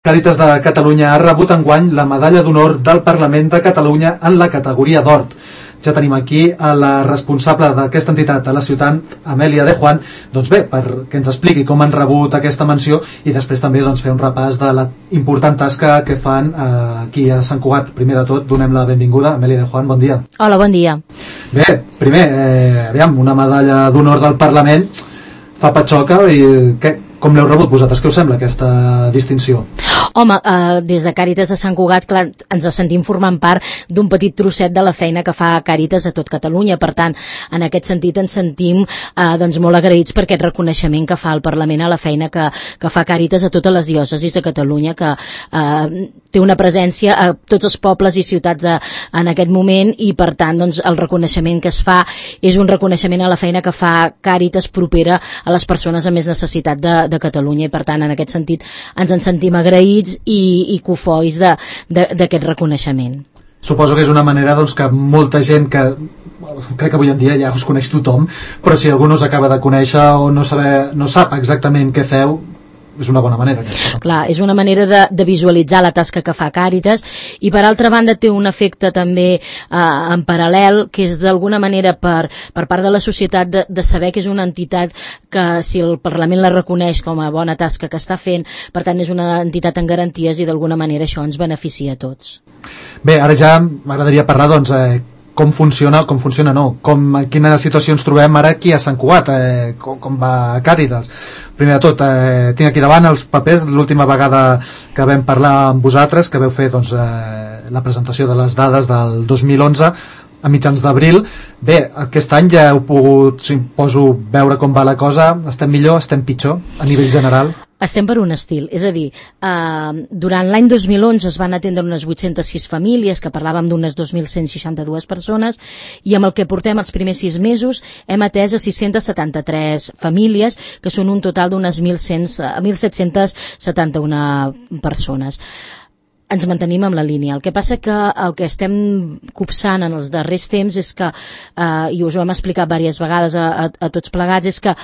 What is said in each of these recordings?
Càritas de Catalunya ha rebut enguany la medalla d'honor del Parlament de Catalunya en la categoria d'or. Ja tenim aquí a la responsable d'aquesta entitat a la ciutat, Amèlia de Juan, doncs bé, perquè ens expliqui com han rebut aquesta menció i després també fer un repàs de la important tasca que fan aquí a Sant Cugat. Primer de tot, donem la benvinguda. Amèlia de Juan, bon dia. Hola, bon dia. Bé, primer, aviam, una medalla d'honor del Parlament fa patxoca i com l'heu rebut vosaltres? Què us sembla aquesta distinció? Home, des de Càritas de Sant Cugat, clar, ens sentim formant part d'un petit trosset de la feina que fa Càritas a tot Catalunya. Per tant, en aquest sentit ens sentim molt agraïts per aquest reconeixement que fa el Parlament a la feina que fa Càritas a totes les diòcesis de Catalunya, que té una presència a tots els pobles i ciutats en aquest moment, i per tant el reconeixement que es fa és un reconeixement a la feina que fa Càritas propera a les persones amb més necessitat de Catalunya, i per tant en aquest sentit ens en sentim agraïts i cofois d'aquest reconeixement. Suposo que és una manera que molta gent que crec que avui en dia ja us coneix tothom, però si algú no us acaba de conèixer o no sap exactament què feu, és una bona manera. Clar, és una manera de visualitzar la tasca que fa Càritas, i per altra banda té un efecte també en paral·lel, que és d'alguna manera per part de la societat de saber que és una entitat que, si el Parlament la reconeix com a bona tasca que està fent, per tant és una entitat en garanties, i d'alguna manera això ens beneficia a tots. Bé, ara ja m'agradaria parlar com funciona, en quina situació ens trobem ara aquí a Sant Cugat, com va Càritas. Primer de tot, tinc aquí davant els papers, l'última vegada que vam parlar amb vosaltres, que veu fer la presentació de les dades del 2011 a mitjans d'abril. Bé, aquest any ja heu pogut, suposo, veure com va la cosa. Estem millor, estem pitjor a nivell general? Estem per un estil, és a dir, durant l'any 2011 es van atendre unes 806 famílies, que parlàvem d'unes 2.162 persones, i amb el que portem els primers 6 mesos hem atès a 673 famílies, que són un total d'unes 1.771 persones. Ens mantenim amb la línia. El que passa que el que estem copsant en els darrers temps és que, i us ho hem explicat diverses vegades a tots plegats, és que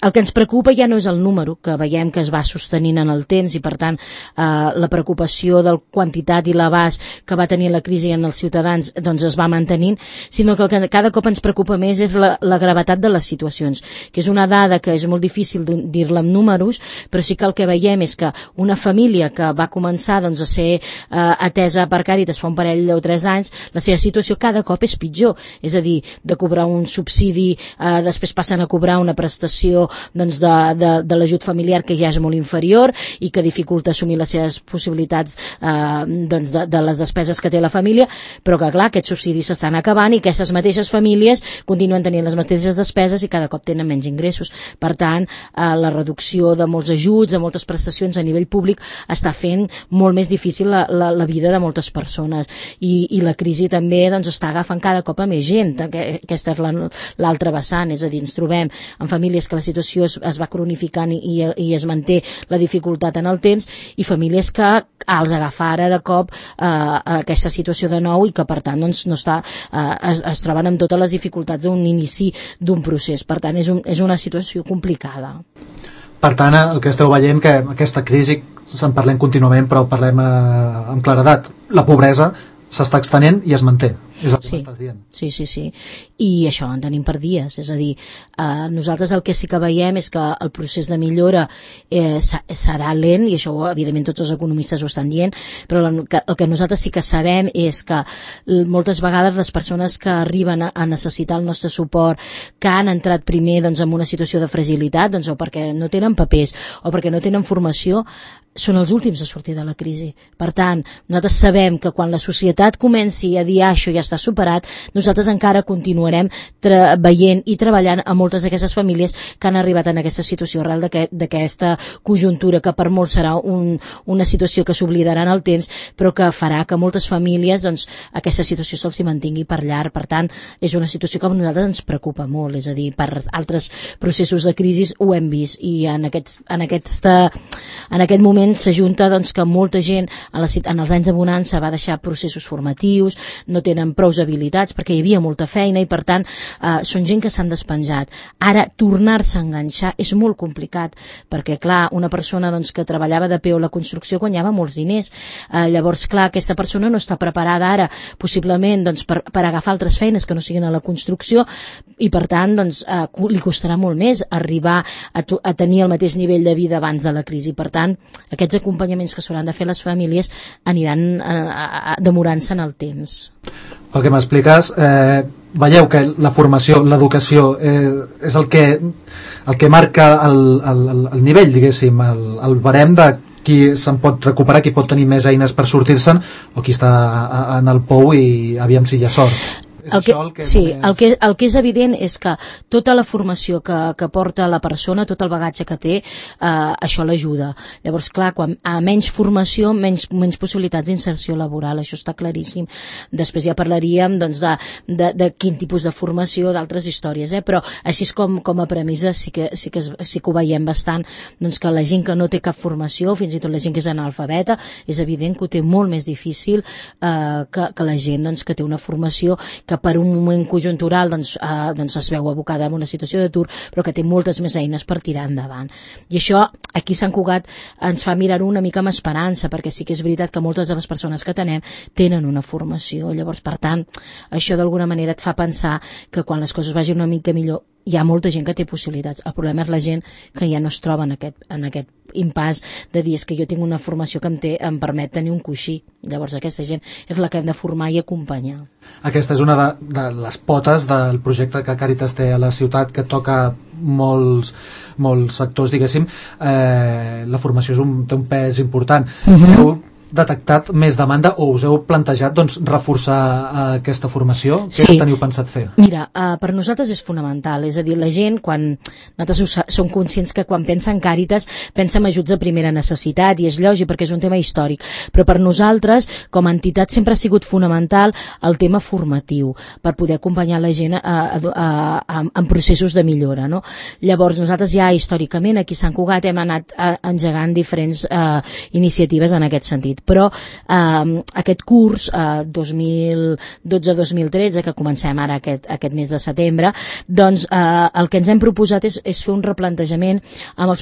el que ens preocupa ja no és el número, que veiem que es va sostenint en el temps, i per tant la preocupació del quantitat i l'abast que va tenir la crisi en els ciutadans es va mantenint, sinó que el que cada cop ens preocupa més és la gravetat de les situacions, que és una dada que és molt difícil dir-la amb números, però sí que el que veiem és que una família que va començar a ser atesa per Càritas fa un parell o 3 anys, la seva situació cada cop és pitjor, és a dir, de cobrar un subsidi, després passen a cobrar una prestació de l'ajut familiar que ja és molt inferior i que dificulta assumir les seves possibilitats de les despeses que té la família, però que clar, aquests subsidis s'estan acabant i aquestes mateixes famílies continuen tenint les mateixes despeses i cada cop tenen menys ingressos. Per tant, la reducció de molts ajuts, de moltes prestacions a nivell públic està fent molt més difícil la vida de moltes persones, i la crisi també està agafant cada cop a més gent. Aquesta és l'altra vessant, és a dir, ens trobem en famílies que la situació es va cronificant i es manté la dificultat en el temps, i famílies que els agafa ara de cop aquesta situació de nou, i que per tant es troben amb totes les dificultats d'un inici d'un procés. Per tant és una situació complicada. Per tant, el que esteu veient, que aquesta crisi se'n parlem contínuament, però parlem amb claredat, la pobresa s'està extenent i es manté, és el que m'estàs dient. Sí, i això en tenim per dies, és a dir, nosaltres el que sí que veiem és que el procés de millora serà lent, i això evidentment tots els economistes ho estan dient, però el que nosaltres sí que sabem és que moltes vegades les persones que arriben a necessitar el nostre suport, que han entrat primer en una situació de fragilitat, o perquè no tenen papers o perquè no tenen formació, són els últims a sortir de la crisi. Per tant, nosaltres sabem que quan la societat comenci a dir això ja està superat, nosaltres encara continuarem veient i treballant a moltes d'aquestes famílies que han arribat en aquesta situació arrel d'aquesta conjuntura, que per molts serà una situació que s'oblidarà en el temps, però que farà que moltes famílies aquesta situació se'ls mantingui per llarg. Per tant, és una situació que a nosaltres ens preocupa molt, és a dir, per altres processos de crisi ho hem vist, i en aquest moment s'ajunta que molta gent en els anys de bonança va deixar processos formatius, no tenen prous habilitats perquè hi havia molta feina i per tant són gent que s'han despenjat. Ara tornar-se a enganxar és molt complicat perquè clar, una persona doncs, que treballava de peu a la construcció guanyava molts diners, llavors clar, aquesta persona no està preparada ara possiblement doncs, per agafar altres feines que no siguin a la construcció i per tant doncs, li costarà molt més arribar a tenir el mateix nivell de vida abans de la crisi. Per tant, aquests acompanyaments que s'hauran de fer les famílies aniran demorant-se en el temps. Pel que m'expliques, veieu que la formació, l'educació és el que marca el nivell, diguéssim, el barem de qui se'n pot recuperar, qui pot tenir més eines per sortir-se'n o qui està en el pou i aviam si hi ha sort. El que és evident és que tota la formació que porta la persona, tot el bagatge que té, això l'ajuda. Llavors, clar, quan a menys formació, menys possibilitats d'inserció laboral, això està claríssim. Després ja parlaríem doncs, de quin tipus de formació, d'altres històries, però així és com a premissa sí que ho veiem bastant, doncs que la gent que no té cap formació, fins i tot la gent que és analfabeta, és evident que ho té molt més difícil que la gent doncs, que té una formació que per un moment conjuntural doncs es veu abocada en una situació d'atur, però que té moltes més eines per tirar endavant. I això, aquí a Sant Cugat, ens fa mirar-ho una mica amb esperança, perquè sí que és veritat que moltes de les persones que tenem tenen una formació. Llavors, per tant, això d'alguna manera et fa pensar que quan les coses vagin una mica millor hi ha molta gent que té possibilitats. El problema és la gent que ja no es troba en aquest impàs de dir que jo tinc una formació que em permet tenir un coixí. Llavors aquesta gent és la que hem de formar i acompanyar. Aquesta és una de les potes del projecte que Càritas té a la ciutat, que toca molts sectors, diguéssim. La formació té un pes important. Heu detectat més demanda o us heu plantejat doncs, reforçar aquesta formació? Què teniu pensat fer? Mira, per nosaltres és fonamental, és a dir, la gent, quan nosaltres som conscients que quan pensa en Càritas pensa en ajuts de primera necessitat i és lògic perquè és un tema històric, però per nosaltres com a entitat sempre ha sigut fonamental el tema formatiu per poder acompanyar la gent en processos de millora, no? Llavors nosaltres ja històricament aquí a Sant Cugat hem anat engegant diferents iniciatives en aquest sentit, però aquest curs 2012-2013 que comencem ara aquest mes de setembre, doncs el que ens hem proposat és fer un replantejament amb els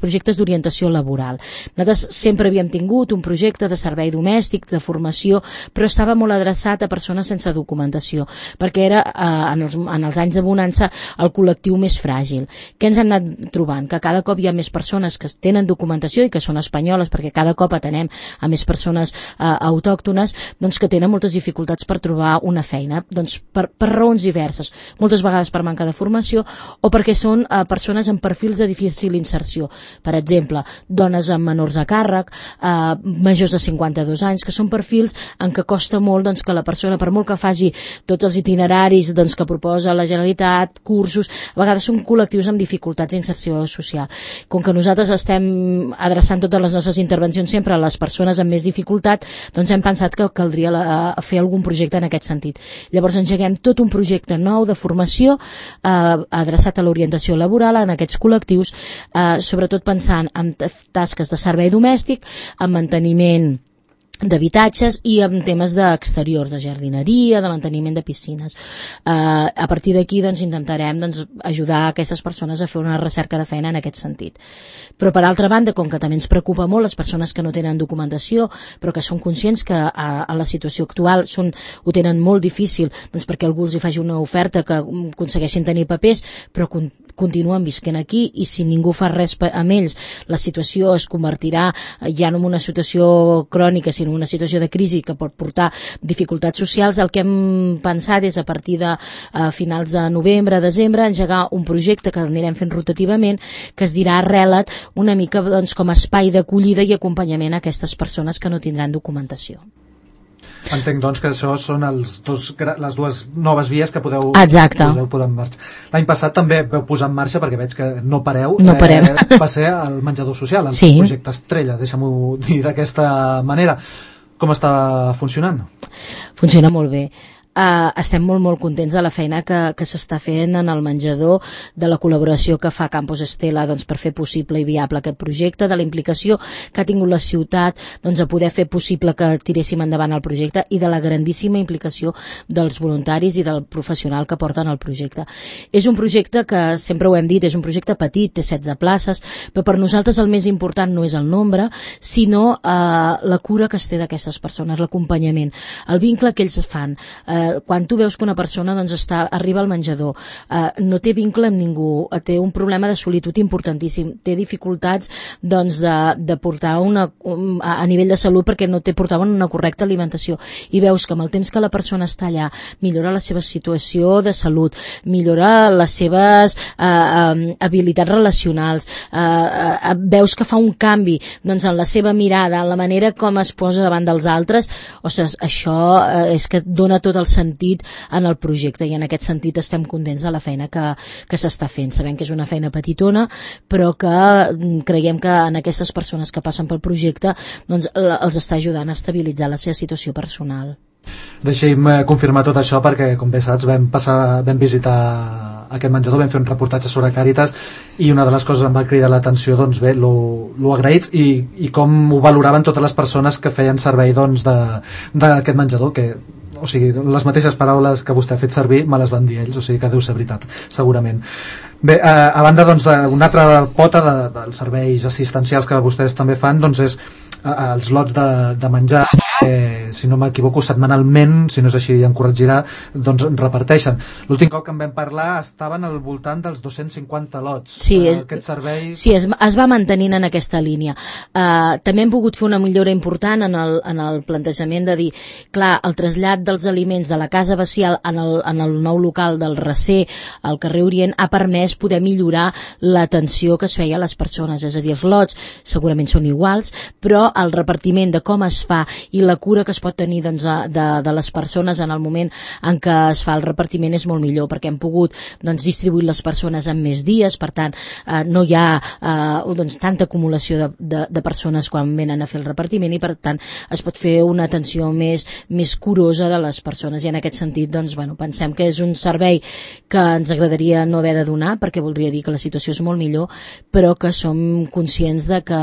projectes d'orientació laboral. Nosaltres sempre havíem tingut un projecte de servei domèstic, de formació, però estava molt adreçat a persones sense documentació, perquè era en els anys de bonança el col·lectiu més fràgil. Què ens hem anat trobant? Que cada cop hi ha més persones que tenen documentació i que són espanyoles, perquè cada cop atenem a més persones autòctones, doncs que tenen moltes dificultats per trobar una feina, doncs per raons diverses, moltes vegades per manca de formació o perquè són persones amb perfils de difícil inserció, per exemple dones amb menors a càrrec, majors de 52 anys, que són perfils en què costa molt doncs, que la persona, per molt que faci tots els itineraris doncs, que proposa la Generalitat, cursos, a vegades són col·lectius amb dificultats d'inserció social. Com que nosaltres estem adreçant totes les nostres intervencions sempre a les persones amb més dificultat, doncs hem pensat que caldria fer algun projecte en aquest sentit. Llavors engeguem tot un projecte nou de formació adreçat a l'orientació laboral en aquests col·lectius, sobretot pensant en tasques de servei domèstic, en manteniment d'habitatges i amb temes d'exteriors, de jardineria, de manteniment de piscines. A partir d'aquí doncs, intentarem ajudar aquestes persones a fer una recerca de feina en aquest sentit. Però per altra banda, com que també ens preocupa molt les persones que no tenen documentació, però que són conscients que a la situació actual ho tenen molt difícil, doncs perquè algú els hi faci una oferta que aconsegueixin tenir papers, però continuen visquent aquí i si ningú fa res amb ells, la situació es convertirà ja no en una situació crònica, sinó en una situació de crisi que pot portar dificultats socials. El que hem pensat és a partir de finals de novembre, desembre, engegar un projecte que anirem fent rotativament, que es dirà Arrela't, una mica doncs, com a espai d'acollida i acompanyament a aquestes persones que no tindran documentació. Entenc, doncs, que això són les dues noves vies que podeu posar en marxa. L'any passat també vau posar en marxa, perquè veig que no pareu, va ser el menjador social, el projecte Estrella, deixa'm-ho dir d'aquesta manera. Com està funcionant? Funciona molt bé. estem molt contents de la feina que s'està fent en el menjador, de la col·laboració que fa Campus Estela per fer possible i viable aquest projecte, de la implicació que ha tingut la ciutat a poder fer possible que tiréssim endavant el projecte i de la grandíssima implicació dels voluntaris i del professional que porten el projecte. És un projecte que, sempre ho hem dit, és un projecte petit, té 16 places, però per nosaltres el més important no és el nombre, sinó la cura que es té d'aquestes persones, l'acompanyament, el vincle que ells fan. Quan tu veus que una persona arriba al menjador, no té vincle amb ningú, té un problema de solitud importantíssim, té dificultats de portar a nivell de salut perquè no portaven una correcta alimentació, i veus que amb el temps que la persona està allà millora la seva situació de salut, millora les seves habilitats relacionals, veus que fa un canvi en la seva mirada, en la manera com es posa davant dels altres. Ostres, això és que dona tot el sentit en el projecte, i en aquest sentit estem contents de la feina que s'està fent. Sabem que és una feina petitona, però que creiem que en aquestes persones que passen pel projecte els està ajudant a estabilitzar la seva situació personal. Deixi'm confirmar tot això perquè, com bé saps, vam visitar aquest menjador, vam fer un reportatge sobre Càritas, i una de les coses em va cridar l'atenció, lo agraïts i com ho valoraven totes les persones que feien servei d'aquest menjador, o sigui, les mateixes paraules que vostè ha fet servir me les van dir ells, o sigui que deu ser veritat, segurament. Bé, a banda una altra pota dels serveis assistencials que vostès també fan, és els lots de menjar, si no m'equivoco, setmanalment, si no és així em corregirà, reparteixen. L'últim cop que en vam parlar estaven al voltant dels 250 lots. Sí, aquest servei... Sí, es va mantenint en aquesta línia. També hem pogut fer una millora important en el plantejament de dir, clar, el trasllat dels aliments de la Casa Bacial en el nou local del Recer, al carrer Orient, ha permès poder millorar l'atenció que es feia a les persones, és a dir, els lots segurament són iguals, però el repartiment de com es fa i la cura que es pot tenir de les persones en el moment en què es fa el repartiment és molt millor, perquè hem pogut distribuir les persones en més dies, per tant no hi ha tanta acumulació de persones quan venen a fer el repartiment, i per tant es pot fer una atenció més curosa de les persones, i en aquest sentit pensem que és un servei que ens agradaria no haver de donar, perquè voldria dir que la situació és molt millor, però que som conscients de que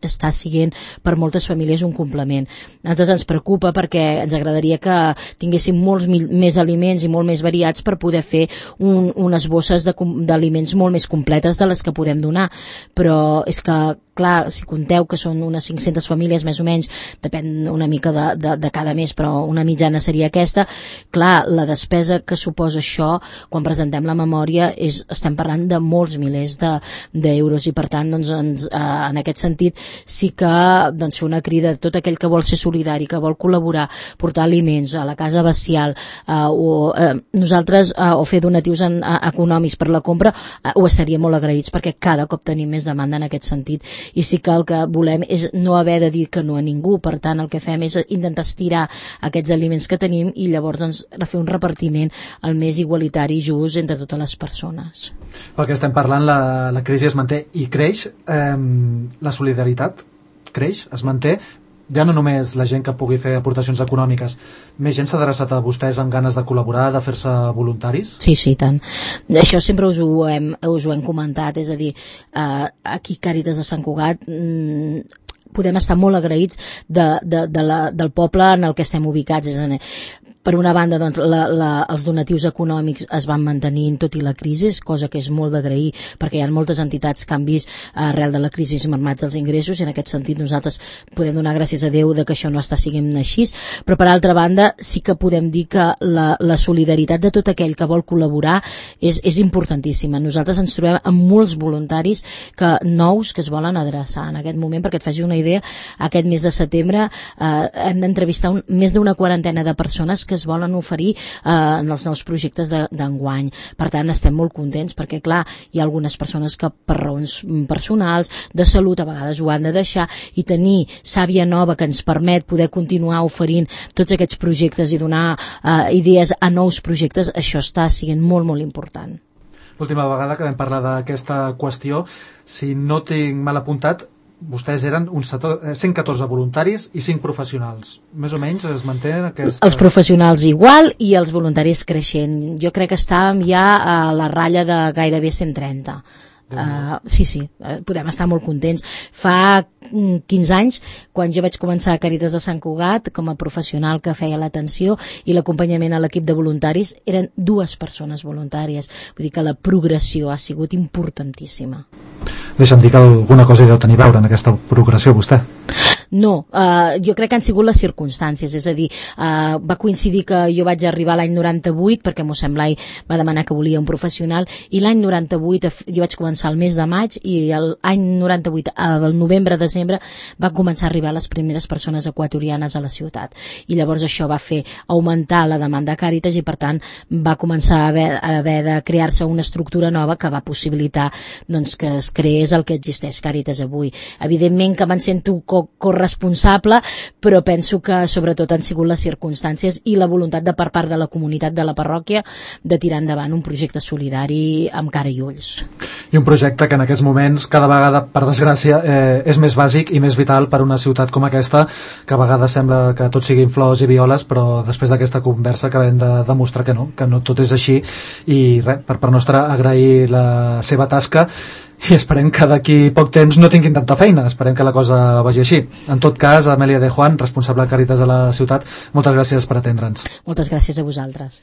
està sent per moltes famílies un complement. A nosaltres ens preocupa perquè ens agradaria que tinguéssim molts més aliments i molt més variats per poder fer unes bosses d'aliments molt més completes de les que podem donar, però és que clar, si conteu que són unes 500 famílies més o menys, depèn una mica de cada mes, però una mitjana seria aquesta, clar, la despesa que suposa això, quan presentem la memòria, estem parlant de molts milers d'euros, i per tant en aquest sentit sí que fer una crida a tot aquell que vol ser solidari, que vol col·laborar, portar aliments a la Casa Bacial, nosaltres o fer donatius econòmics per la compra, ho estaríem molt agraïts, perquè cada cop tenim més demanda en aquest sentit, i sí que el que volem és no haver de dir que no a ningú. Per tant, el que fem és intentar estirar aquests aliments que tenim i llavors fer un repartiment el més igualitari i just entre totes les persones. Pel que estem parlant, la crisi es manté i creix, la solidaritat creix, es manté, ja no només la gent que pugui fer aportacions econòmiques, més gent s'ha adreçat a vostès amb ganes de col·laborar, de fer-se voluntaris? Sí, tant. Això sempre us ho hem comentat, és a dir, aquí Càritas de Sant Cugat podem estar molt agraïts del poble en el que estem ubicats, és a dir, per una banda, els donatius econòmics es van mantenint tot i la crisi, cosa que és molt d'agrair, perquè hi ha moltes entitats que han vist arrel de la crisi mermats els ingressos, i en aquest sentit nosaltres podem donar gràcies a Déu que això no està sent així, però per altra banda sí que podem dir que la solidaritat de tot aquell que vol col·laborar és importantíssima. Nosaltres ens trobem amb molts voluntaris nous que es volen adreçar en aquest moment. Perquè et faci una idea, aquest mes de setembre hem d'entrevistar més d'una quarantena de persones que es volen oferir en els nous projectes d'enguany. Per tant, estem molt contents perquè, clar, hi ha algunes persones que per raons personals, de salut, a vegades ho han de deixar, i tenir sàvia nova que ens permet poder continuar oferint tots aquests projectes i donar idees a nous projectes, això està sent molt, molt important. L'última vegada que vam parlar d'aquesta qüestió, si no tinc mal apuntat, vostès eren uns 114 voluntaris i 5 professionals. Més o menys es mantenen aquesta... Els professionals igual i els voluntaris creixent. Jo crec que estàvem ja a la ratlla de gairebé 130. Sí, podem estar molt contents. Fa 15 anys, quan jo vaig començar a Càritas de Sant Cugat com a professional que feia l'atenció i l'acompanyament a l'equip de voluntaris, eren 2 persones voluntàries. Vull dir que la progressió ha sigut importantíssima. Deixa'm dir que alguna cosa hi deu tenir a veure en aquesta progressió vostè. No, jo crec que han sigut les circumstàncies, és a dir, va coincidir que jo vaig arribar l'any 98 perquè mossèn Blai va demanar que volia un professional i l'any 98 jo vaig començar el mes de maig i l'any 98, al novembre-desembre va començar a arribar les primeres persones equatorianes a la ciutat i llavors això va fer augmentar la demanda a Càritas i per tant va començar a haver de crear-se una estructura nova que va possibilitar doncs, que es creés el que existeix Càritas avui. Evidentment que me'n sento responsable, però penso que sobretot han sigut les circumstàncies i la voluntat de per part de la comunitat de la parròquia de tirar endavant un projecte solidari amb cara i ulls. I un projecte que en aquests moments cada vegada, per desgràcia, és més bàsic i més vital per una ciutat com aquesta, que a vegades sembla que tot siguin flors i violes, però després d'aquesta conversa acabem de demostrar que no tot és així i res, per part nostra agrair la seva tasca i esperem que d'aquí poc temps no tinguin tanta feina, esperem que la cosa vagi així. En tot cas, Amèlia de Juan, responsable de Càritas a la ciutat, moltes gràcies per atendre'ns. Moltes gràcies a vosaltres.